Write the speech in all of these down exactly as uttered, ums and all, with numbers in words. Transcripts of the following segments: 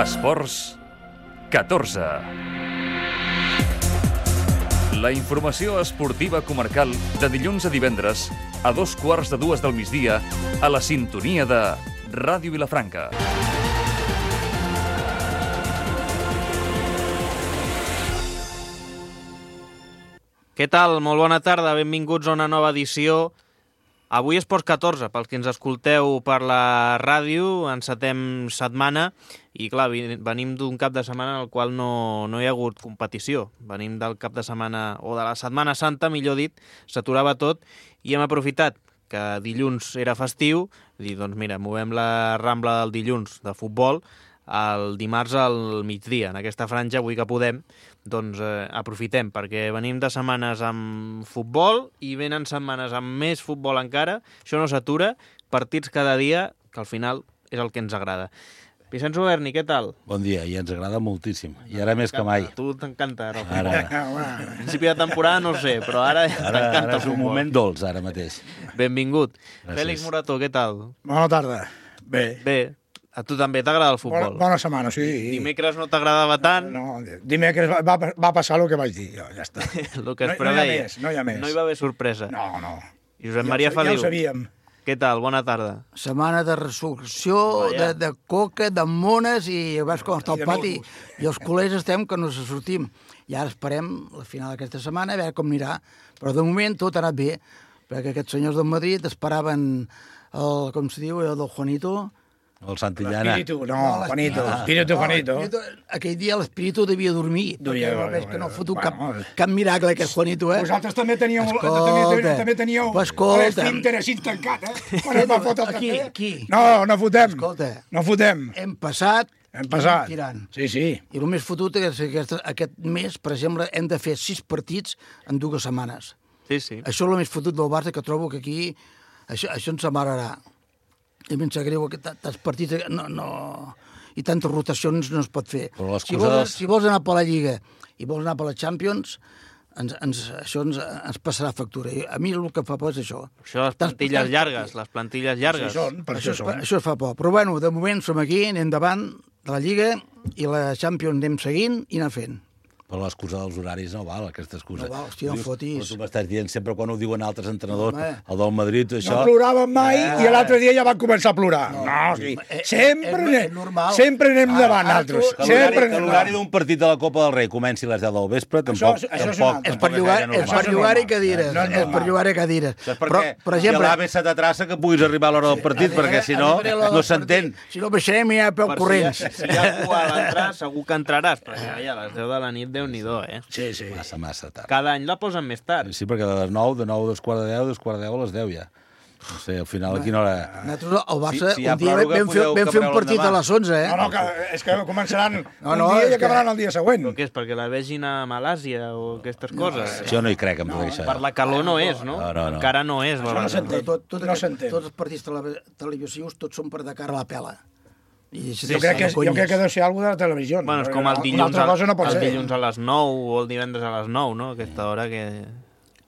Esports catorze. La informació esportiva comarcal de dilluns a divendres a dos quarts de dues del migdia a la sintonia de Ràdio Vilafranca. Què tal? Molt bona tarda, benvinguts a una nova edició. Avui Esports catorze, pels que ens escolteu per la ràdio, encetem setmana i clar, venim d'un cap de setmana en el qual no, no hi ha hagut competició. Venim del cap de setmana, o de la Setmana Santa, millor dit, s'aturava tot i hem aprofitat que dilluns era festiu, dir, doncs mira, movem la Rambla del dilluns de futbol el dimarts al migdia. En aquesta franja, avui que podem, doncs eh, aprofitem, perquè venim de setmanes amb futbol i venen setmanes amb més futbol encara. Això no s'atura, partits cada dia, que al final és el que ens agrada. Vicenç Oberni, què tal? Bon dia, i ens agrada moltíssim. I ara més que mai. A tu t'encanta ara el futbol. Ara. A principi de temporada no ho sé, però ara, Ara, t'encanta ara el és un futbol. moment dolç, ara mateix. Benvingut. Gràcies. Fèlix Morató, què tal? Bona tarda. Bé. Bé, a tu també t'agrada el futbol? Bona, bona setmana, sí. Dimecres no t'agradava tant? No, dimecres va, va, va passar el que vaig dir, jo, ja està. El que es No- no hi ha preveia. més, no hi ha més. No hi va haver sorpresa. No, no. Josep Ja Maria ho sa- Feliu, Ja ho sabíem. què tal? Bona tarda. Setmana de resurrecció, Vaja. de, de coca, de mones, i veus com està I el de pati. musclos. I els col·legs estem que no se sortim. I ara esperem la final d'aquesta setmana, a veure com anirà. Però de moment tot ha anat bé, perquè aquests senyors del Madrid esperaven el, com se diu, el del Juanito. El Santillana. Espíritu, no, Juanito. Ah, Espíritu, no, Juanito. l'Espíritu- Aquell dia l'espíritu devia dormir, Devia perquè dormir, veig que no ha fotut cap, bueno. cap miracle aquest Juanito, eh? Vosaltres també teníeu, Escolta. també, també teníeu Pues escolta. l'esfínter així tancat, eh? Quan es va fotre el Aquí, cafè. aquí. No, no fotem. Escolta. No fotem. Hem passat, Hem passat. tirant. Sí, sí. I el més fotut és que aquest, aquest mes, per exemple, hem de fer sis partits en dues setmanes. Sí, sí. Això és el més fotut del Barça, que trobo que aquí això, això ens amararà. I a mi em sap greu que tants partits no, no, i tantes rotacions no es pot fer. Però l'excusa Si vols, dels- si vols anar per la Lliga i vols anar per la Champions, ens, ens, això ens, ens passarà factura. I a mi el que fa por és això. Això, les Tants- plantilles tants llargues, partits. les plantilles llargues. Això són, per Això, això és, són. això es fa por. Però bueno, de moment som aquí, anem davant de la Lliga i la Champions anem seguint i anar fent. Però l'excusa dels horaris no val, aquesta excusa. No val, hòstia, no Dius, fotis. Però tu m'estàs dient sempre quan ho diuen altres entrenadors, Home. el del Madrid, això... No ploraven mai i l'altre dia ja van començar a plorar. No, sí. Eh, Sempre, és- anem, és normal. sempre anem Ara- davant, ara altres. tu- Que Sempre l'horari- que anem l'horari davant. d'un partit de la Copa del Rei comenci a les deu del vespre, tampoc, Això- això és tampoc, una altra. És per tampoc llogar, gaire és per normal. llogar-hi normal. cadires. No és és per normal. llogar-hi cadires. Això és Però, perquè per hi ha exemple, l'A B C de traça que puguis arribar a l'hora del partit, perquè si no, no s'entén. Si no baixarem ja a peu Per corrents. Si, si hi ha cua a l'entrar, segur que entraràs, però ja, ja a les deu de la nit, Déu-n'hi-do, eh? Sí, sí. Massa, massa tard. Cada any la posen més tard. Sí, perquè de les nou, de nou, dos quarts de deu, dos quarts de deu a les deu ja. No sé, al final a quina hora... Nosaltres, al Barça, Si- si hi ha un dia pròrroga, vam fer, podeu vam fer un cabreu partit a l'endemà. les onze, eh? No, no, que, és que començaran No, un no, dia és i acabaran que- el dia següent. Però què és, perquè la vegin a Malàsia o aquestes coses? Jo no hi crec, en tot això. Per la calor no és, no? No, no, no. Encara no és. Això no València. s'entén. Tot, tot, No aquest- s'entén. tots els partits tele- televisius tots són per de cara a la pela. I Jo crec, que, és- jo crec que deu ser alguna de la televisió. Bueno, és perquè com el una dilluns, altra a, cosa no pot el ser. dilluns a les nou o el divendres a les nou, no? Aquesta hora que...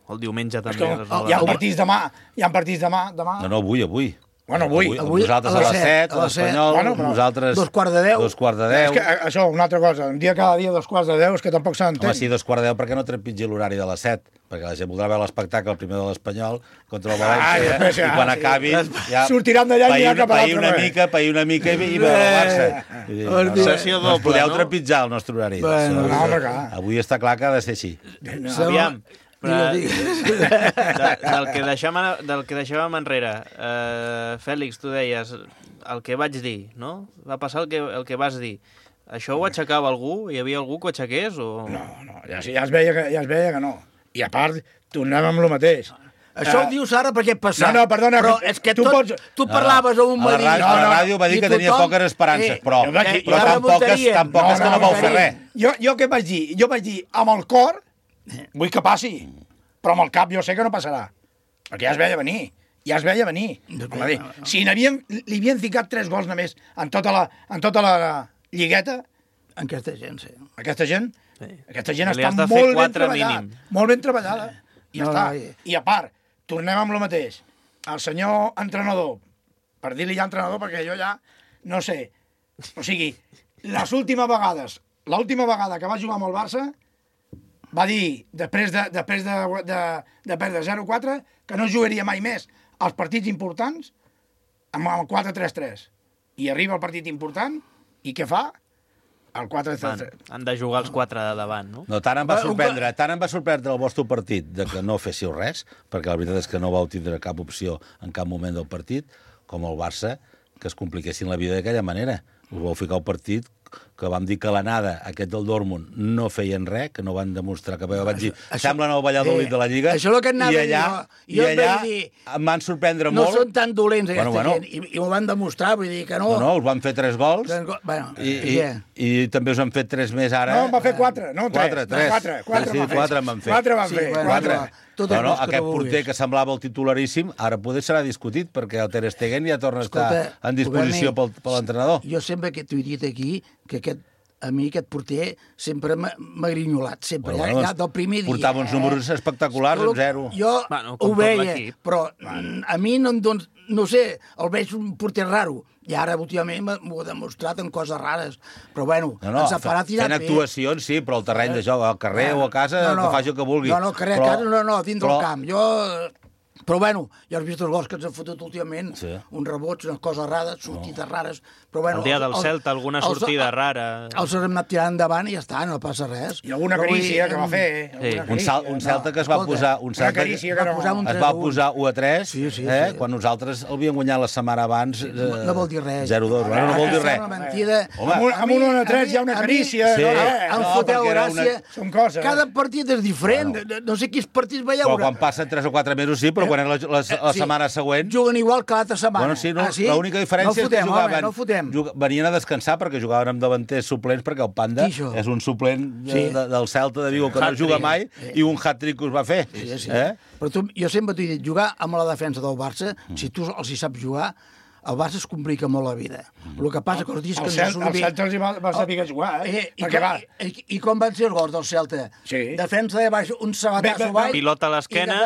O el diumenge És també. que a les nou de hi ha la nit. partits demà, hi ha partits demà, demà. No, no, avui, avui. Bueno, avui. Avui nosaltres a a les les set, set, a les set. l'Espanyol, Bueno, però nosaltres... dos quarts de deu. Dos quarts de És deu. que eh, això, una altra cosa, un dia cada dia dos quarts de deu, és que tampoc s'entén. Home, sí, dos quarts de deu, perquè no trepitgi l'horari de les set? Perquè la gent voldrà veure l'espectacle, el primer de l'Espanyol, contra el València, Ah, i després ja, i quan sí. acabi... Ja, Sortiran d'allà i pair aniran cap a pair l'altre una res. mica, pair una mica i, i veure el Barça. Vull dir, no, no, Sessió no ens doble, podeu no? trepitjar el nostre horari. Bueno, Això- no, home, clar. Avui està clar que ha de ser així. Aviam, però, Digues, de, del, que deixàvem, del que deixàvem enrere, eh, Fèlix, tu deies el que vaig dir, no? Va passar el que, el que vas dir. Això ho aixecava algú? Hi havia algú que ho aixequés? O... No, no, ja, ja, es veia que, ja es veia que no. I a part, tornem amb el mateix. Això Eh, ho dius ara perquè et passa. No, no, perdona, Però que és que tu tot, pots- tu parlaves a un A la Madrid... ràdio, No, a la no, ràdio va dir i que tenia tothom- poques esperances, eh, però, jo vaig dir- però i tan ara poques, votaríem. tan poques No, que no, no vau no, fer no. res. Jo, jo què vaig dir? Jo vaig dir, amb el cor, vull que passi, però amb el cap jo sé que no passarà, perquè ja es veia venir, ja es veia venir. Home, dir, si n'havien, li havien ficat tres gols només en tota la, en tota la lligueta, Aquesta gent, sí. aquesta gent, Sí. aquesta gent Li està has de fer molt ben quatre treballada, mínim. molt ben treballada, i ja No, està. no, i- I a part, tornem amb el mateix. El senyor entrenador, per dir-li ja entrenador, perquè jo ja no sé, o sigui, les últimes vegades, l'última vegada que va jugar amb el Barça, va dir, després de, després de, de, de perdre zero quatre, que no jugaria mai més als partits importants amb el quatre tres tres. I arriba el partit important, i què fa? El quatre tres tres. Han de jugar els quatre de davant, no? No, tant em va sorprendre, tant em va sorprendre el vostre partit de que no féssiu res, perquè la veritat és que no vau tindre cap opció en cap moment del partit, com el Barça, que es compliquessin la vida d'aquella manera. Us vau ficar el partit que vam dir que l'anada, aquest del Dortmund, no feien res, que no van demostrar que vaig dir, això, semblen el Valladolid eh, de la Lliga, això és que i allà, jo, jo i allà dir, em van sorprendre no molt. No són tan dolents, aquesta bueno, bueno. gent, i, i ho van demostrar, vull dir que no... No, no, us van fer tres gols, Tres go... bueno, i, i, i, i també us han fet tres més ara. No, em va fer quatre, no tres. Quatre, tres. Quatre, quatre, sí, sí, quatre em van fer. Quatre van sí, fer, bueno, quatre. Tot no, no, que aquest porter que semblava el titularíssim, ara poder serà discutit, perquè el Ter Stegen ja torna Escolta, a estar en disposició pel, per l'entrenador. Jo sempre que t'ho he dit aquí, que aquest, a mi aquest porter sempre m'ha grinyolat, sempre, bueno, ja, ja del primer dia. Portava uns números eh? espectaculars, amb zero. Jo bueno, ho veia, però a mi no, doncs, no sé, el veig un porter raro. I ara, últimament, m'ho ha demostrat en coses rares. Però, bueno, no, no, ens farà tirar fent actuacions, sí, però al terreny de joc, al carrer no, o a casa, no, no, que faci el que vulgui. No, no, carrer, però, a casa, no, no, dins però... del camp. Jo... Però, bueno, ja has vist els gols que ens han fotut últimament, sí. uns rebots, unes coses rares, sortides no. rares. Però, bueno, el dia del Celta, alguna sortida els, rara... Els hem anat tirant endavant i ja està, no passa res. I alguna carícia que va fer. Sí. Un, sal, un Celta que es va posar... Un Celta que que no. posar un es va posar u a tres, sí, sí, eh? sí. Quan nosaltres el havíem guanyat la setmana abans... Eh, no vol dir res. zero dos, no, no vol dir res. Mentida. Home, amb un u a tres hi ha una carícia. Sí. Em foteu gràcia. Són coses. Cada partit és diferent. No sé quins partits veieu. Quan passen tres o quatre mesos sí, però quan és la setmana següent... Juguen igual que l'altra setmana. Bueno, sí, no, ah, sí? l'única diferència no fotem, és que jugaven... Home, no fotem. Jug... Venien a descansar perquè jugaven amb davanters suplents, perquè el Panda és un suplent de, sí. de, del Celta de Vigo que no juga mai, eh. i un hat-trick us va fer. Sí, sí. Eh? Però tu, jo sempre t'he dit, jugar amb la defensa del Barça, mm. si tu els hi saps jugar, el Barça es complica molt la vida. Mm. El que passa que els dies que... El, Cel el Celta els va, va saber jugar, eh? eh i, com, i, i, I com van ser els gols del Celta? Sí. Defensa de baix, un sabatasso baix... Pilota a l'esquena...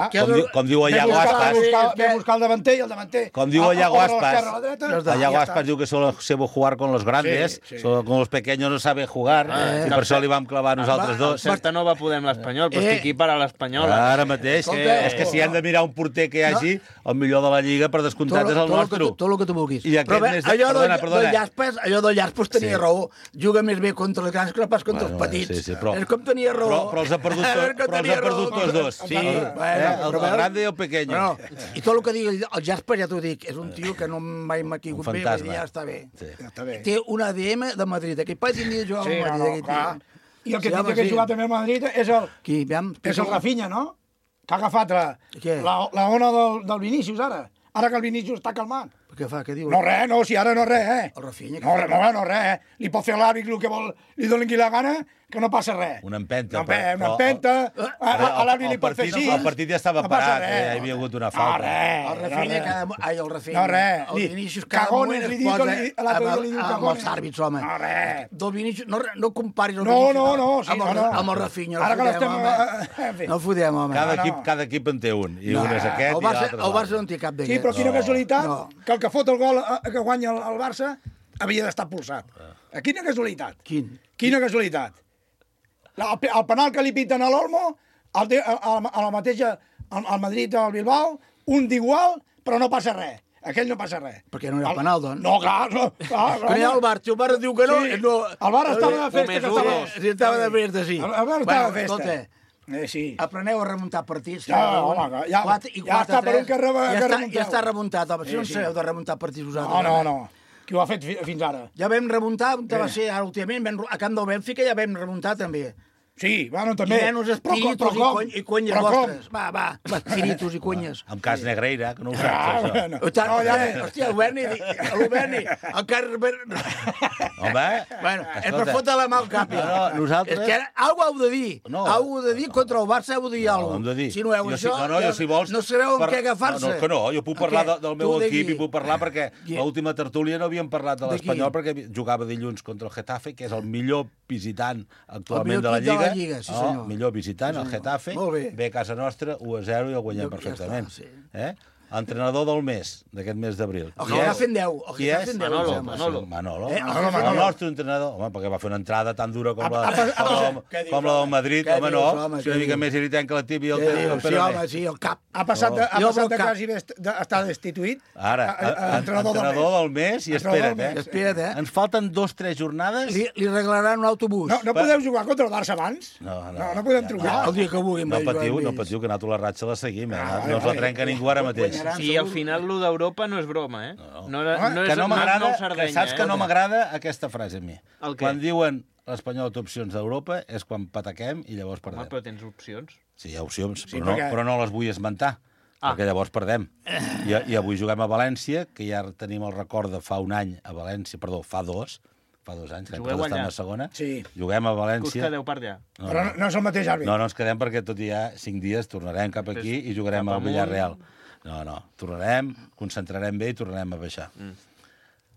Com, diu, com diu el Iago Aspas... Ve a buscar el davanter i el davanter... Com diu el Iago Aspas... El Iago Aspas diu que solo sebo jugar con los grandes, sí, sí. Solo con los pequeños no sabe jugar, eh, i per això li vam clavar nosaltres dos. El Celta no va poder amb l'Espanyol, però estic aquí per a l'Espanyol. Ara mateix, és que si han de mirar un porter que hi hagi, el millor de la Lliga, per descomptat, és el nostre. Tot el que tu vulguis. I però bé, més... allò perdona, del, perdona. del Llaspes, allò del Llaspes tenia sí. raó. Juga més bé contra els grans que no pas contra bueno, els petits. Sí, sí, però, és com tenia raó. Però, però els ha perdut, tot, però els ha perdut tots dos. Sí, el, bueno, eh, el, el grande i el pequeño. Bueno, I tot el que digui el Llaspes, ja t'ho dic, és un tio que no mai m'ha caigut bé, ja està bé. Sí. Ja està bé. Té un A D M de Madrid. Aquell pai tindria de jugar sí, al Madrid. No, no, I el que tindria que jugar també al Madrid és el, Qui, aviam, és el Rafinha, no? Que ha agafat la, la, la ona del, del Vinícius, ara. Ara que el Vinícius està calmant. Què fa? Què diu? No res, no, si ara no res, eh? El Rafinha? No, no, no, no res, eh? Li pot fer l'àrbic el que vol, li doni qui la gana, que no passa res. Una empenta. Una, però, una empenta, però, a, a l'àrbic li pot fer així. El partit ja estava no parat, eh? Hi havia hagut una falta. No, res. El Rafinha, no, cada... Ai, el Rafinha. No, res. El Vinícius cada moment es posa amb els àrbits, home. No, res. Del Vinícius, no, no comparis el no, Vinícius no, no, sí, amb, el, no, no. amb el Rafinha. Ara que l'estem... No fotem, home. Cada equip, cada equip en té un. I un és aquest i l'altre. El Barça no en té cap d'aquests. Sí, però quina casualitat que el que fot el gol que guanya el Barça havia d'estar pulsat. Quina casualitat. Quin? Quina casualitat. El, el penal que li piten a l'Olmo, a la mateixa, al Madrid o al Bilbao, un d'igual, però no passa res. Aquell no passa res. Perquè no era el penal, doncs. No, clar. No, clar però hi ha el Bar, si el Bar diu que no... Sí, no el Bar estava de festa. Que estava... Sí, estava de festa, sí. El Bar estava bueno, de festa. Escolta, eh, sí. Apreneu a remuntar partits. Ja, home, ja, quatre, i ja està per un que, reba, ja, que està, ja està remuntat, home. Si sí, no en sí. sabeu de remuntar partits vosaltres. No, no, no. Qui ho ha fet fins ara? Ja vam remuntar, on va ser ara últimament, a Camp del Bènfica ja vam remuntar també. Sí, bueno, també. I menys espiritus i, cony, i conyes vostres. Va, va, espiritus i conyes. Amb cas Negreira, que no ho saps, ah, això. Bueno. No, ja, hòstia, el Berni, el Berni, el cas... Home, bueno, és per fotre la mà al cap. No, no, nosaltres... És que ara, alguna heu de dir. No. Alguna heu de dir contra el Barça, heu de dir no, alguna cosa. Si no heu jo això, sí, no, no, jo, si vols, no sabeu per... en què agafar-se. No, no, que no, jo puc parlar de, del meu equip i puc parlar perquè I... l'última tertúlia no havíem parlat de l'Espanyol perquè jugava dilluns contra el Getafe, que és el millor visitant actualment de la Lliga. De la Lliga, sí, senyor. Millor visitant, el Getafe, ve a casa nostra u a zero i el guanyem perfectament. Eh? entrenador del mes, d'aquest mes d'abril. El que està fent deu. El Qui que està és? fent deu. Manolo, em sembla. Manolo. Manolo. Eh, Manolo, Manolo. el nostre entrenador. Home, perquè va fer una entrada tan dura com la, Ha- ha- ha- com, què dius, com la del home? Madrid. Què Home, dius, no. home, Si una què mica dius? més irritant que la tib i el, Què el dius? Sí, Peroné. home, sí, el cap. Ha passat de, ha Jo passat pel de cap. quasi bé est- de- estar destituït Ara, a- a- a- entrenador, entrenador del mes i Entrenador espera't, del eh? mes. Espera't, eh? Ens falten dos, tres jornades. Li, li regalaran un autobús. No, no Va. podeu jugar contra el Barça abans? No, no. no, no podem Ja, trucar. El dia que vulguin. No vaig jugar patiu, amb no ells. patiu, que nosaltres la ratxa la seguim, eh? Ah, No vale, ens la vale. trenca ningú ara mateix. Guanyaran. I al final, lo d'Europa no és broma, eh? No. No, no, no és, Que no no és m'agrada, nou que Sardenya, saps que eh? no m'agrada aquesta frase a mi. El què? Quan diuen l'Espanyol té opcions d'Europa és quan pataquem i llavors Home, perdem. però tens opcions. Sí, hi ha opcions, Sí, però, no, perquè- però no les vull esmentar, Ah. perquè llavors perdem. I, I avui juguem a València, que ja tenim el record de fa un any a València, perdó, fa dos, fa dos anys, que Jugueu encara estem allà? a segona. Sí. Juguem a Que us València. quedeu per allà. No, Però no, no és el mateix àrbit. no, no ens quedem perquè tot i ha cinc dies tornarem cap aquí i jugarem cap al amunt. Villarreal. No, no, tornarem, concentrarem bé i tornarem a baixar. Mm.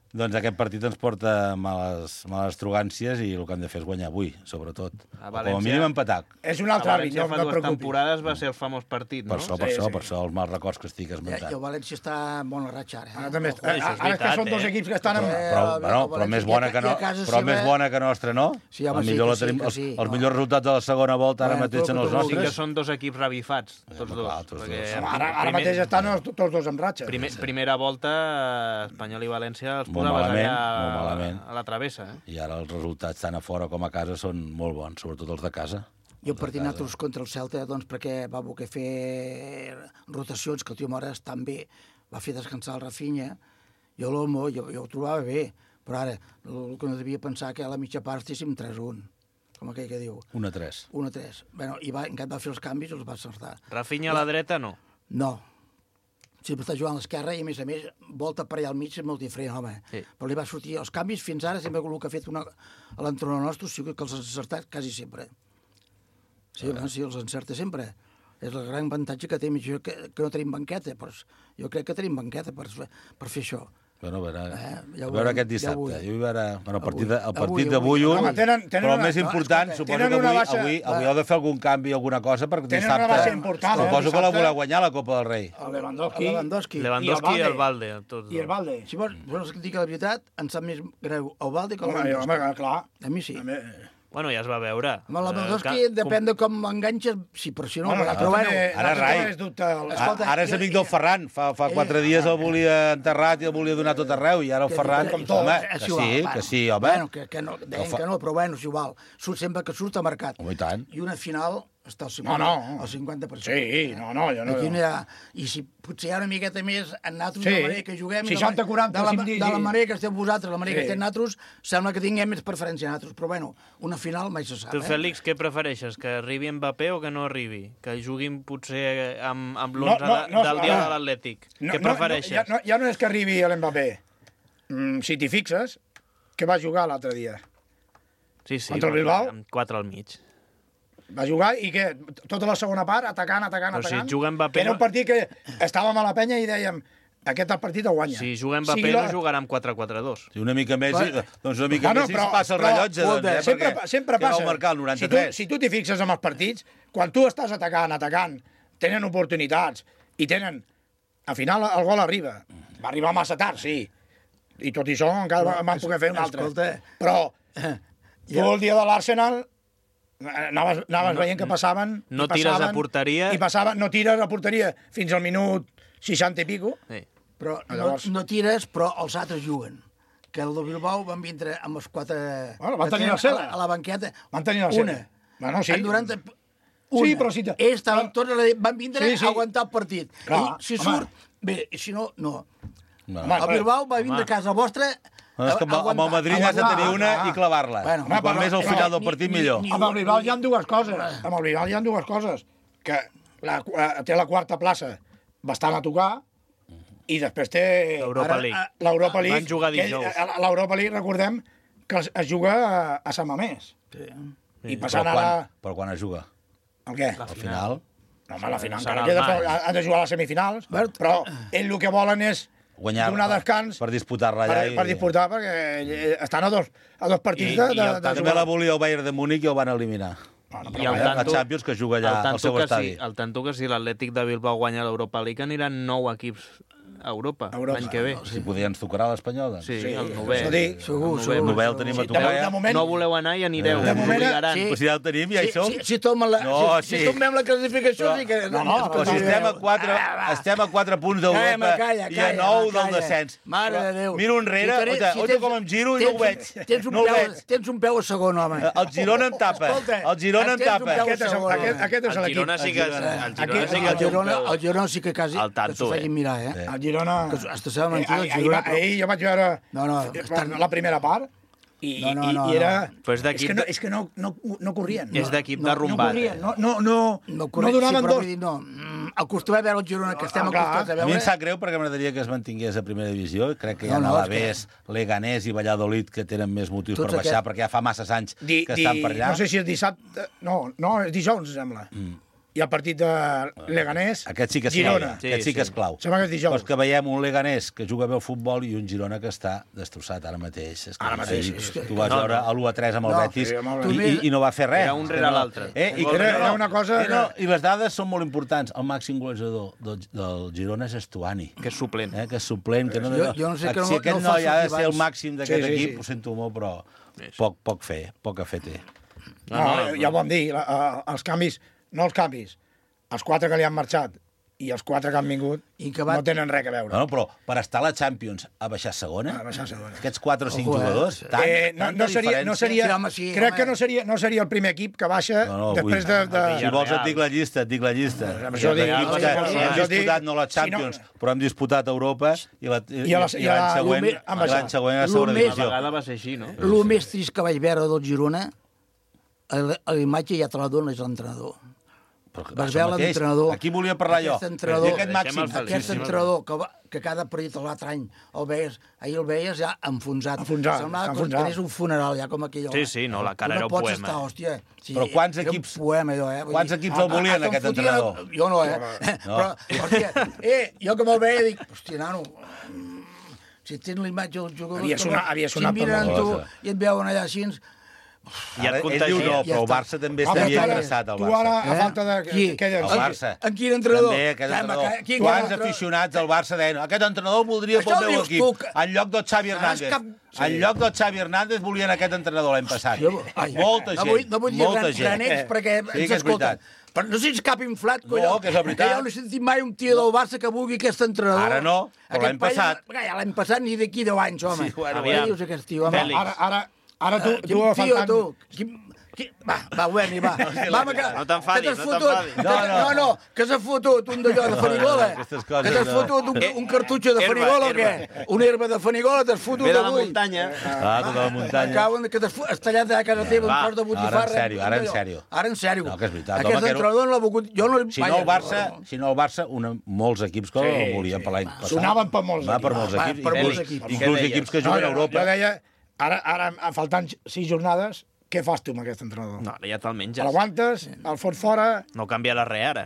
Doncs aquest partit ens porta males, males trogàncies i el que hem de fer és guanyar avui, sobretot. A O com a València- mínim empatar. És un A altre àrbit, València no, fa no et dues preocupis. temporades va ser el famós partit, no? Per això, per Sí, això, sí. per això els mals records que estic Ja, esmentant. I el València està en bona ratxa, ara. Eh? Ara, també, Ojo. ara, això és ara que veritat, són dos eh? equips que estan en... Eh, Però, el bueno, però València més i a bona ca- que no, i a casa però seva- més bona que nostra, no? Sí, home, el sí, millor que la sí, tenim, que els, sí, els no. millors resultats de la segona volta ara Bueno, mateix són tot els el que Sí que nostres. són dos equips revifats, tots home, dos. clar, tots perquè dos. Home, ara, ara primer- mateix estan els- tots dos en ratxa. Primer, primera volta, Espanyol i València els Molt posaves malament, allà molt malament. a la travessa. Eh? I ara els resultats tant a fora com a casa són molt bons, sobretot els de casa. I el partit nosaltres contra el Celta, doncs, perquè va voler fer rotacions, que el tio Mora estan bé, va fer descansar el Rafinha, i l'Olmo, jo, jo ho trobava bé, però ara, el que no devia pensar que a la mitja part estéssim tres a un, com aquell que diu, un a tres. un a tres. Bueno, i va, encara va fer els canvis i els va acertar. Rafinha a la dreta, no. No. Sempre està jugant a l'esquerra i, a més a més, volta per allà al mig és molt diferent, home. Sí. Però li va sortir els canvis fins ara, sempre el que ha fet una, a l'entrenador nostre, sí que els ha encertat quasi sempre. Sí, home, sí, els encerta sempre. És el gran avantatge que tenim, jo, que, que no tenim banqueta, però jo crec que tenim banqueta per, per fer això. Bueno, a veure, Eh, ja a ho veure veurem, aquest ja dissabte. ho veurem. Jo hi veure, bueno, el partit, de, el Avui, partit avui, d'avui avui. un, Home, tenen- tenen però el una- més no, important, escolta, suposo tenen que una avui, baixa- avui, avui heu de fer algun canvi, alguna cosa, perquè Tenen dissabte... una baixa important, eh, Suposo que la dissabte. voleu guanyar, la Copa del Rei. El Lewandowski, El Lewandowski. Lewandowski i el Valde. Tots I el dos. Valde. Si vols, vols que et digui la veritat, em sap més greu el Valde que el Home, Lewandowski. home, clar. A mi sí. A mi- Bueno, ja es va veure. Amb el Lewandowski Eh, que- depèn de com enganxes, sí, però si no... Bueno, però bueno, també- ara també rai. és dubte el- Escolta, A, ara és jo- amic del Ferran. Fa, fa quatre dies el volia enterrat i el volia donar tot arreu, i ara el que- Ferran... que- Com que- home, és que igual, sí, bueno. que sí, home. Bueno, que, que no, deien fa- que no, però bueno, és igual. Surt sempre que surt a mercat. Home, i tant. I una final està al No, cinquanta, no. al cinquanta per cent. Sí, no, no, jo no... Aquí no hi ha... I si potser hi ha una miqueta més en nosaltres, Sí. de la manera que juguem... i de la- seixanta quaranta, de la, si em dius, de la sí. manera que esteu vosaltres, la manera Sí. que estem nosaltres, sembla que tinguem més preferència a nosaltres. Però bueno, una final mai se sap, Tu, eh? Fèlix, què prefereixes? Que arribi Mbappé o que no arribi? Que juguin potser amb, amb No, l'onze no, no, del dia ara- de l'Atlètic? No, Què no, prefereixes? No, ja, no, ja no és que arribi l'Mbappé. Mm, si t'hi fixes, que va jugar l'altre dia. Sí, sí, contra el però Bilbao? amb quatre al mig. Va jugar i què? Tota la segona part, atacant, atacant, Però si atacant. juga Mbappé Era un no- partit que estàvem a la penya i dèiem aquest el partit el guanya. Si juga Mbappé Sigui la- no jugarà amb quatre quatre dos. Si una mica més, Bueno, doncs una mica Bueno, més i però- es passa el però, rellotge, doncs, eh? sempre, perquè sempre que vau passa. marcar el Si noranta-tres. tu, si tu t'hi fixes en els partits, quan tu estàs atacant, atacant, tenen oportunitats i tenen... Al final el gol arriba. Va arribar massa tard, sí. I tot i això encara Però, van poder fer un altre. escolta, Però tu jo- el dia de l'Arsenal anaves, anaves No- veient que passaven... no i tires a passaven, porteria. I passaven, no tires a porteria fins al minut seixanta i pico. Sí. Però no, Llavors- no tires, però els altres juguen. Que el de Bilbao van vindre amb els quatre... Bueno, van que tenir tenen la seva. A la, a la banqueta. Van tenir la Una. seva. Bueno, sí. En noranta... Una. Sí, però si te- Ells estaven però- tots... a la- Van vindre Sí, sí. a aguantar el partit. Clar, I si home. surt... Bé, i si no, no. No. Home, El Bilbao va vindre a casa vostra... No, és que amb, amb el Madrid has de tenir una i clavar-la. Bueno, I quan però- més al però- final del ni- partit, ni- millor. ni- Amb el Bilbao hi ha dues coses. Amb el Bilbao hi ha dues coses. Que la, eh, té la quarta plaça bastant a tocar i després té L'Europa Ara, League. a- l'Europa League. Van jugar que dijous. ell- a L'Europa League, recordem, que es, es juga a, a Sant Mamés. Sí. I Però passant quan, ara... però quan es juga? El què? La Al final... No, home, la final Serà encara al queda, maig. però han de jugar a les semifinals. Però ells el que volen és Guanyar donar descans per disputar-la allà. per, per disputar, perquè estan a dos, a dos partits I- de, i de, el- de També jugar. la volia el Bayern de Múnich i el van eliminar. No, no, I però el vaja, La tanto, Champions que juga allà el al tanto seu que estadi. sí, el tanto que si l'Atlètic de Bilbao guanya l'Europa League aniran nou equips a Europa, Europa, l'any que ve. no, Si podria ens tocarà l'Espanyol, doncs. Sí, Sí, el novè. això dic. Segur, El segur. novè. Novè el tenim a Sí, de, tocar. de moment... No voleu anar i anireu. De us moment, obligaran. sí. Però si ja el tenim, ja hi Si, som. si, si, tomem la, No, si, sí. si tomem la classificació, sí que... No, no, Però si estem a quatre, estem a quatre punts d'Europa Calla, calla, i a calla, nou del calla. descens. Mare de Déu. Miro enrere, Si tens- oita, si oita tens- com em giro i no ho veig. tens- Tens un, No ho peu, veig. tens un peu a segon, home. El Girona em tapa. Escolta, El Girona em tens un tapa. peu a Aquest és, segon, aquest, home. aquest és El l'equip. Girona sí que, el Girona Aquí- sí que El té un Girona, peu. el Girona sí que quasi Al tanto, que s'ho facin eh? mirar, eh? El Girona... Que hasta seva mentida, Eh, el ahir, Girona, ahir, però- ahir jo vaig veure No, no, eh, estan- la primera part i, No, no, i, no, i era... no. Però és d'equip és que, no, de- és que no, no, no corrien. És no, d'equip no, de no no rumbat. corrien, no, no, no, No, no correcte, donaven sí, però dos. vull dir, no. Mm, Acostumem a veure el Girona, que estem Ah, clar. acostumats a A mi em veure. sap greu perquè m'agradaria que es mantingués a primera divisió. Crec que hi ha No, no, és Alavés, Leganés i Valladolid que tenen més motius Tots per baixar, aquests- perquè ja fa masses anys Di, que di, estan per allà. no sé si és dissabte... No, no, és dijous, em sembla. Mm. I el partit de Leganés, Aquest sí que és Girona. clau. Aquest sí que és clau. Sembla que és dijous. Però és que veiem un Leganés que juga bé al futbol i un Girona que està destrossat ara mateix. És que Ara mateix, ahir sí, sí. Tu vas No, veure no. l'u a tres amb el No, Betis sí, amb i, el- i, i no va fer res. Era un És que rere no- l'altre. Eh? I, Era- era una cosa Eh, no, que- I les dades són molt importants. El màxim golejador del, del Girona és Estuani. Que és suplent. Eh, que és suplent, que no, Jo- jo no sé que no- si aquest no no, fa ja ha de ser el sortir màxim d'aquest Sí, sí, equip, sí. ho sento molt, però poc, poc fer, poc a fer té. No, no, ja ho vam dir, la, uh, els canvis, no els canvis, els quatre que li han marxat i els quatre que han vingut I que va- no tenen res a veure. No, no, però per estar a la Champions a baixar segona, A baixar segona. aquests quatre o cinc Ojo, eh? jugadors, tant, Eh, no, tanta no, seria, no diferència. seria, Sí, home, sí, crec home. que no seria, no seria el primer equip que baixa No, no, després vull- de... de... Si vols et dic la llista, et dic la llista. Amb això dic, Equips no, que ja, hem ja, ja, disputat dic- no la si no- Champions, però hem disputat Europa i la- i- I a la- i i a la- l'any següent, l'U M amb l'any això. següent a la L'U segona M Una divisió. vegada va ser així, no? El més trist que vaig veure del Girona, a la a la imatge ja te la dona, és l'entrenador. Però Vas això veure mateix, l'entrenador. Aquí volia parlar jo. Aquest entrenador, I aquest màxim. Deixem el Feliç. Aquest Sí, sí, entrenador que, va, que cada partit l'altre any el veies, ahir el veies ja enfonsat. Enfonsat, Semblava que enfonsat. tenies un funeral, ja com aquell home. Sí, sí, no, la cara Tu era no un pots poema. Estar, hòstia, sí, Però quants era un equips- poema, allò, eh? Vull quants dir, equips el volien, hasta em aquest fotien- entrenador? Jo no, eh? No. Però, hòstia, eh, jo que me'l veia dic, hòstia, nano, mm, si tens la imatge dels jugadors... Havia que sonat- no- havia si sonat per miren la tu cosa. i et veuen allà així... I et Ara, ell contagia. diu no, Ja però el està. Barça també Ah, estaria però tu ara- interessat, el Tu Barça. ara, a falta de... Eh? Qui? Què El dius? Barça. En quin entrenador? També, aquest Home, entrenador. que- qui- Quants qui- aficionats del Barça deien aquest entrenador el voldria Això pel meu dius equip. tu, que- En lloc del Xavi Saps Hernández. cap- En lloc del Xavi Hernández volien aquest entrenador l'any passat. Jo- ai, Molta no gent. vull, no vull dir molta gran, gent. granecs perquè Sí, ens que és escolten. veritat. Però no sents cap inflat, colló. No, que és la veritat. Que jo no he sentit mai un tio del Barça que vulgui aquest entrenador. Ara no, però Aquest l'any paio- passat. Ja, l'any passat ni d'aquí deu anys, home. Sí, bueno, Què aviam. dius aquest tio, home? Fèlix. Ara, ara, ara tu, Quin tu a tio, faltant... tu. Quin... Qui... Va, va, Berni, va. va que, No t'enfadis, que t'has no fotut- t'enfadis. que No, t'has- no. no, no, que s'ha fotut un d'allò de Fanigola. Aquestes coses Que t'has no. fotut un, un cartutxo de Herba, Fanigola o herba. què? Una herba de Fanigola t'has fotut Ve de la avui. muntanya. Ah, tota la Me muntanya. cago en que t'has fu- has tallat a casa teva Va, un tros de botifarra. ara en sèrio, ara en allò. sèrio. Ara en sèrio. No, que és veritat, Aquest home, que no- entrenador no l'ha volgut... Jo no... Si no el Barça, si no el Barça, una, molts equips que el volien per l'any passat. Sonaven per molts Va, per equips. molts Va, equips. per inclús- molts equips. Inclús Què equips que No, juguen a jo, Europa. jo deia, ara, ara, a faltant sis jornades, què fas tu amb aquest entrenador? No, ja te'l menges. L'aguantes, el fots fora... No canviarà res ara.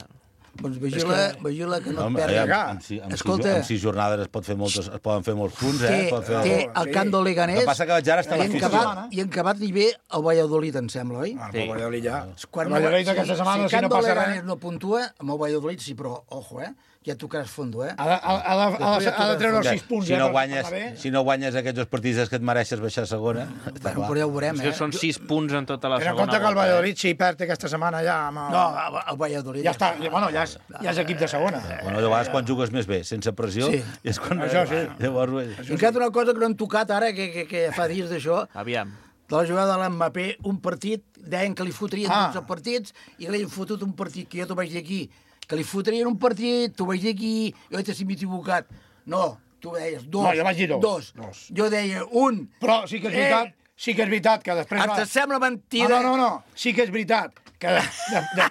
Doncs vigila, vigila que no et Home, perdi. aviam, amb, si, amb, Escolta. sis, amb sis jornades es, pot fer moltes, es poden fer molts punts, eh? Té, Pot fer... té el camp del Leganés. El que passa que vaig ara estar a i la en festa acabat, setmana. I en acabat li ve el Valladolid, em sembla, oi? Ah, Sí. sí. Valladolid ja. Quan el Valladolid aquesta si, setmana, si, si, el no camp del passa Leganés res... no puntua, amb el Valladolid sí, però, ojo, eh? Ja tocaràs fondo, eh? Ha de, ha, ha, de, ha, de, ha de treure els sis punts, si eh? no per- guanyes, per anar bé. si no guanyes aquests dos partits que et mereixes baixar a segona, està Bueno, clar. però ja ho veurem, És eh? que són sis punts en tota la Ten en segona compte que el volta, eh? Valladolid, si perd aquesta setmana ja... Amb el... No, el Valladolid... ja està, ja, bueno, ja és, ja és equip de segona. Bueno, de vegades quan jugues més bé, sense pressió, Sí. és quan... Això sí. Llavors, I encara una cosa que no han tocat ara, que, que, que fa dies d'això, Aviam. de la jugada de l'Mbappé, un partit, deien que li fotrien Ah. dotze partits, i li han fotut un partit, que jo t'ho vaig dir aquí, que li fotrien un partit, t'ho vaig dir aquí, jo vaig dir si m'he equivocat. No, tu deies dos. No, jo vaig dir dos. Dos. Dos. Jo deia un. Però sí que és veritat, Eh. sí que és veritat que després... Ens va- sembla No, mentida. no, no, no, sí que és veritat que... De, de,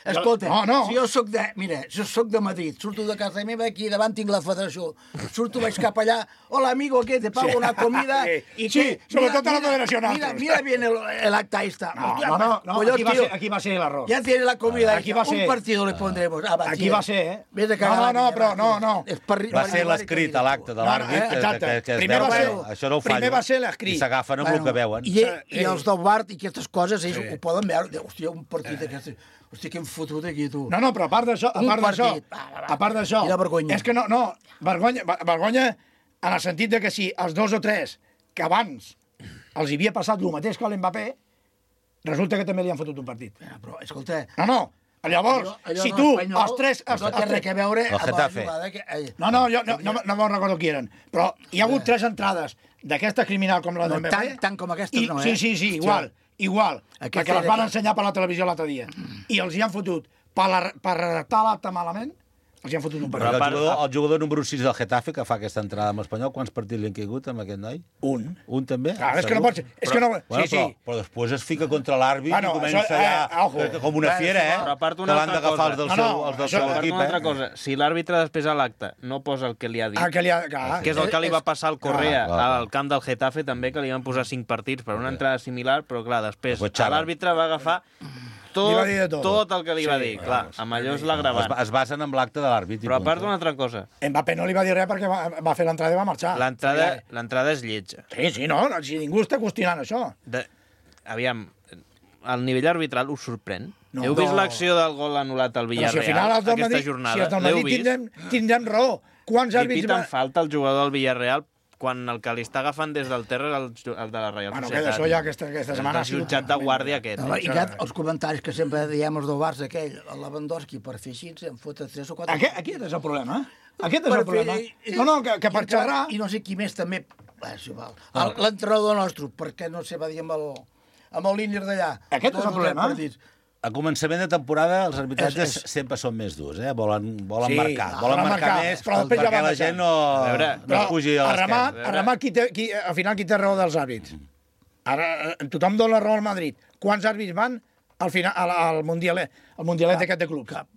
Escolta, no, no. si jo soc de... Mira, jo soc de Madrid, surto de casa meva, aquí davant tinc la federació, surto, vaig cap allà, hola, amigo, ¿qué? Te pago sí. una comida... Sí, y sí que, sobretot mira, a la federació mira, nostres. mira bien el, el acta esta. No, Hostia, no, no, no pues yo, aquí, va tío, ser, aquí va ser l'error. ya tiene la comida, Aquí va ser... un partido le pondremos. Ah, va, Aquí tío. va ser, eh? Vés a No, cagar no, no, la però no, no. És per, Va ser l'escrit a l'acte de No, no, l'àrbit, eh, exacte. que, que es Primer veu va que ser- això no ho primer fallo, va ser l'escrit. i s'agafen amb el que veuen. I, i els del bar i aquestes coses, ells Sí. ho poden veure. De, hòstia, un partit d'aquestes... Hòstia, que hem fotut aquí, tu. No, no, però a part d'això, a Un part d'això, partit. Va, va, va. a part d'això, Quina vergonya. és que no, no, vergonya, ver- vergonya en el sentit de que si els dos o tres que abans els havia passat el mateix que a l'Mbappé, resulta que també li han fotut un partit. Mira, però, escolta... No, no, llavors, allò- allò si no tu, espanyol els tres... Els, no té els res que veure El amb la Getafe. jugada que... eh, No, no, jo no, no, no me'n recordo qui eren, però hi ha hagut tres entrades d'aquesta criminal com la No, d'Mbappé. tant- tant com aquestes i, no, eh? Sí, sí, sí, igual, igual, Aquesta perquè les era van que- ensenyar per la televisió l'altre dia. I els hi han fotut, per, la, per redactar l'acte malament, els hi han fotut un Però partit. el a part- jugador, el jugador número sis del Getafe, que fa aquesta entrada amb l'Espanyol, quants partits li han caigut amb aquest noi? Un. Un també? Clar, és que no Segur? pot ser. És que no... Bueno, Sí, però, sí. però després es fica contra l'àrbit Bueno, i comença això, eh, allà ojo. eh, com una Bueno, fiera, eh? però a part que una l'han altra d'agafar els cosa. del No, seu, no, els del això- seu A part, equip, una altra eh? cosa, si l'àrbitre després a l'acte no posa el que li ha dit, Ah, que li ha... Clar. que és el que li va passar al Correa Clar, clar, al camp del Getafe també, que li van posar cinc partits per una entrada similar, però clar, després Després xerren. l'àrbitre va agafar Li tot, va dir de tot. tot el que li va Sí, dir. Clar, amb allò és Es, l'agravant. es basen en l'acte de l'àrbit. i Però a part punt. d'una altra cosa, Mbappé no li va dir res perquè va, va fer l'entrada i va marxar. l'entrada l'entrada és lletja. Sí, sí, no, no, si ningú està qüestionant això. De... Aviam, el nivell arbitral us sorprèn? No. Heu vist No. l'acció del gol anul·lat al Però si Villarreal al final els del aquesta Madrid, jornada? si els del L'heu Madrid vist? tindrem, tindrem raó. Quants Li àrbits... piten Va... falta al jugador del Villarreal quan el que li està agafant des del terra és el, ju- el de la Reial Bueno, que Societat. d'això ja aquesta, aquesta setmana... El ha sigut jutjat de guàrdia aquest. No, I aquest, els comentaris que sempre diem els del Barça, aquell, el Lewandowski, per fer així, em fota tres o quatre... Aquest, aquest és el problema. Aquest és Per el problema. fer- No, no, que, que i per encara- xerrar... I no sé qui més també... Va, és igual. El- L'entrenador nostre, perquè no sé, va dir amb el, amb el líder d'allà. Aquest és Dos el o tres problema. partits. A començament de temporada els arbitratges És- és- sempre són més durs, eh? Volen, volen Sí, marcar, ah, volen volen marcar, marcar, més però després ja perquè va la marxant. gent no, A veure, no Però es pugi a a l'esquerra. remat, a remat qui té, qui, al final qui té raó dels àrbits. Ara eh, tothom dona raó al Madrid. Quants àrbits van al final al, al mundialet, al mundialet aquest de clubs? Cap.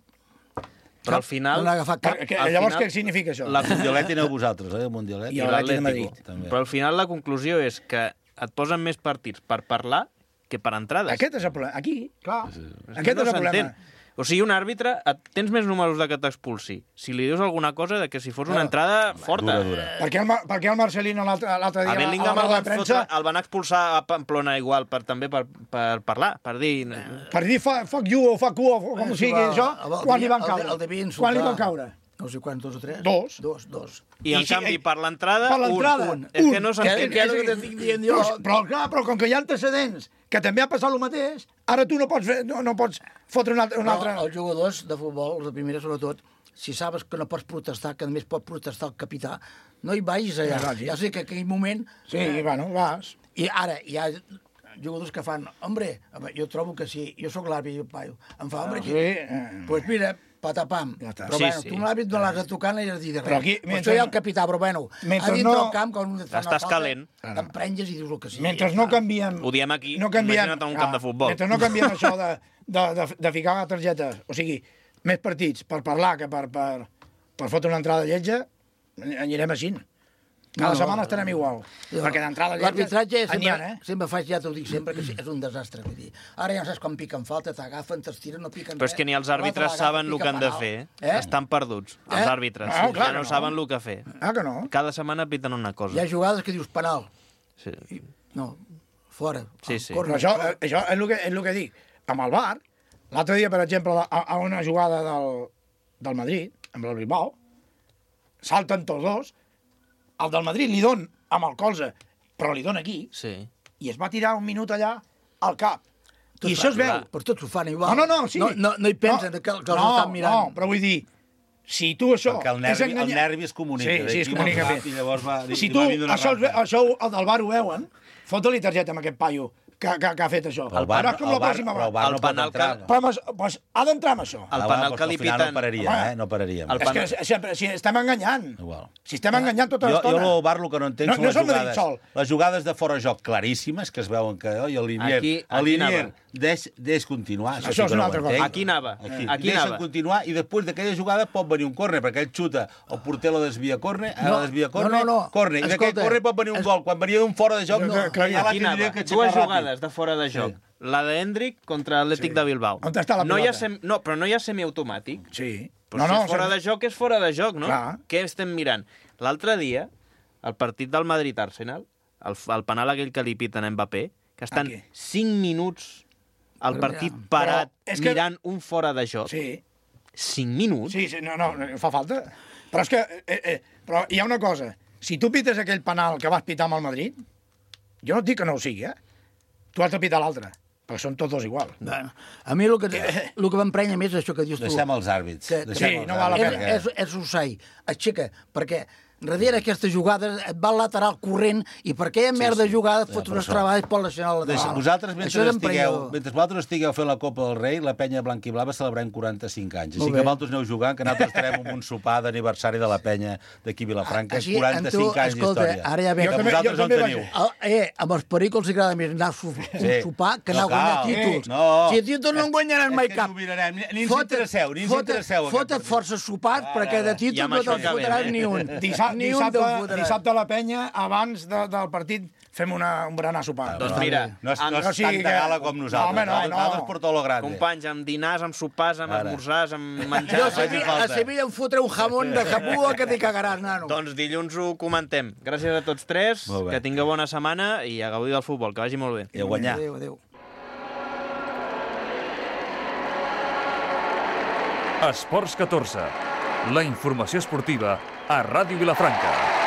Però al final... No n'ha agafat cap. Que, al llavors final, què significa això? la- El Mundialet aneu vosaltres, eh? El Mundialet. I l'Atlètic de Madrid. També. Però al final la conclusió és que et posen més partits per parlar que per entrades. Aquest és el problema. Aquí, clar. És que Aquest no és el problema. s'entén. O sigui, un àrbitre, et, tens més números de que t'expulsi. Si li dius alguna cosa de que si fos una Claro. entrada forta. Dura, dura. Per què el, Mar- per què el Marcelino l'altre l'altre dia A Bellingham a la el roda van, de premsa fotre, el van expulsar a Pamplona igual, per, també per, per parlar, per dir... per dir fa- fuck you o fuck you o com Bueno, sigui si va- això, el- el quan li devia- van el- caure? el devia insultar. Quan li van caure? No sé quants, dos o tres? Dos. Dos, dos. I, en I si- canvi, per l'entrada, Per l'entrada, un. És que no Que, s'entén. que és el que t'estic dient jo. Però, però, clar, però com que hi ha antecedents que també ha passat el mateix, ara tu no pots, fer, no, no pots fotre un altre... Un Però altre... els jugadors de futbol, els de primera sobretot, si sabes que no pots protestar, que només pot protestar el capità, no hi vagis allà. No vagis. Ja sé que en aquell moment... Sí, bueno, vas. I ara hi ha jugadors que fan, hombre, home, jo trobo que sí, jo sóc l'àrbit, i el paio, em fa, hombre, Sí, que... eh. pues mira, patapam. Ja està. Però Sí, bueno, sí. tu l'àrbit no l'has de tocar ni has de dir de res. Però aquí, Pues mentre soy el no- capità, però bueno, mentre a dintre no- del camp, quan et fan una Estàs falta, calent. t'emprenges i dius el que sí. Mentre ja no està. canviem... Ho diem aquí, no canviem, imagina't en un camp de futbol. Mentre no canviem això de, de, de, de ficar targetes, o sigui, més partits per parlar que per, per, per fotre una entrada lletja, anirem així. Cada No, no, setmana no, estarem no. igual. No. Perquè d'entrada L'arbitratge lletges... sempre, n'hi ha, eh? sempre faig, ja t'ho dic sempre, que sí, és un desastre. Vull dir. Ara ja no saps quan piquen falta, t'agafen, t'estiren, no piquen Però és que ni els àrbitres saben el que han de fer. Eh? Estan perduts, els Eh? àrbitres. Ah, clar Ja que no no. saben el que fer. Ah, que no? Cada setmana piten una Hi ha cosa. jugades que dius penal. Sí. I, no, fora. Sí, sí. Però això, eh, això és, el que, és el que dic. Amb el bar, l'altre dia, per exemple, a, a una jugada del, del Madrid, amb el Bilbao, salten tots dos, el del Madrid li don amb el colze, però li dona aquí, Sí. i es va tirar un minut allà al cap. I Tots això es fan- veu. Però tots ho fan igual. No, no, no, sí. No, no, no hi pensen no, que, que els no, estan mirant. No, però vull dir, si tu això... Perquè el nervi, el nervi es comunica. Sí, sí, es d'aquí comunica molt bé. ràpid, I llavors va, Si i tu va vindre una això, rampa. això el del bar ho veuen, fota-li targeta amb aquest paio, que, que, que ha fet això. El bar, no és com el la bar, pròxima però el vegada. bar El no pot penal entrar. que- Però pues, pues, ha d'entrar amb això. El Ah, penal va, que li al final no piten... pararíem, Home, eh? No pararíem. el És que penal- sempre, si estem enganyant. Igual. Si estem enganyant tota Jo, l'estona. jo el bar el que no entenc No- són no les és el Madrid jugades, sol. les jugades de fora de joc claríssimes, que es veuen que oi, el Linier, Aquí- el aquí Linier anava. deix, deix continuar. Això, Això sí és que una no altra ho cosa. entenc. Aquí anava. Aquí, Aquí deixen anava. continuar i després d'aquella jugada pot venir un córner, perquè ell xuta, el porter la desvia a córner, No, no, desvia a córner, no, no, no. córner, i d'aquell Escolta, córner pot venir un es- gol. Quan venia d'un fora de joc, No, no, que- que- ja la Aquí tindria anava. que aixecar Dues ràpid. jugades de fora de joc. Sí. La d'Hendrick contra l'Atlètic Sí. de Bilbao. On està la no hi ha pilota? sem... No, però no hi ha semiautomàtic. Sí. Però si és fora de joc, és fora de joc, no? Clar. Què estem mirant? L'altre dia, el partit del Madrid-Arsenal, el, el penal aquell que li piten a Mbappé, que estan Aquí. cinc minuts al Però partit ja. parat Però és que- mirant un fora de joc. Sí. cinc minuts? Sí, sí, no, no, no fa falta. Però és que, eh, eh, però hi ha una cosa. Si tu pites aquell penal que vas pitar amb el Madrid, jo no et dic que no ho sigui, eh? Tu has de pitar l'altre, perquè són tots dos igual. Bueno, a mi el que, el que m'emprenya més és això que dius tu. Deixem els àrbits. Que- Deixem Sí, els no val la àrbits, pena. És, és, és Usai, aixeca, perquè darrere aquestes jugades et va al lateral corrent i per aquella merda sí. jugada et Ja, fot per uns això. treballs per lesionar el Deixa, lateral. vosaltres, Això mentre és estigueu, emprenyador. mentre vosaltres estigueu fent la Copa del Rei, la penya blanquiblava celebrem quaranta-cinc anys. Molt Així bé. que vosaltres aneu jugant, que nosaltres estarem en un sopar d'aniversari de la penya d'aquí a Vilafranca. Així, quaranta-cinc amb tu, anys escolta, d'història. ara ja ve- Que Jo també- vosaltres jo on també teniu. vaig- El, eh, amb els pericos els agrada més anar a so- Sí. un sopar que anar No a guanyar cal. títols. No. Si títols no en guanyaran És mai que cap. ens ho mirarem. Ni- ni ens Fota't- interesseu, ni ens fota't- interesseu, aquest Fota't partit. força sopars, Ara, perquè de ara. I títols amb no això te'n acabem, fotràs eh? ni un. Dissabte, Ni un dissabte, te'n fotràs. dissabte a la penya, abans de, del partit, fem una, un berenar sopar. Doncs No, mira, no és, no amb- és o sigui tanta que- gala com nosaltres. No, home, no, no. Nosaltres per tot lo grande. companys, amb dinars, amb sopars, amb Ara. esmorzars, amb Jo a menjars... faci Sevilla, falta. a Sevilla em fotré un jamón de Japua que t'hi cagaràs, nano. Doncs dilluns ho comentem. Gràcies a tots tres, Molt bé. que tingueu bona setmana i a gaudir del futbol, que vagi molt bé. I a guanyar. Adéu, adéu. Esports catorze. La informació esportiva a Ràdio Vilafranca.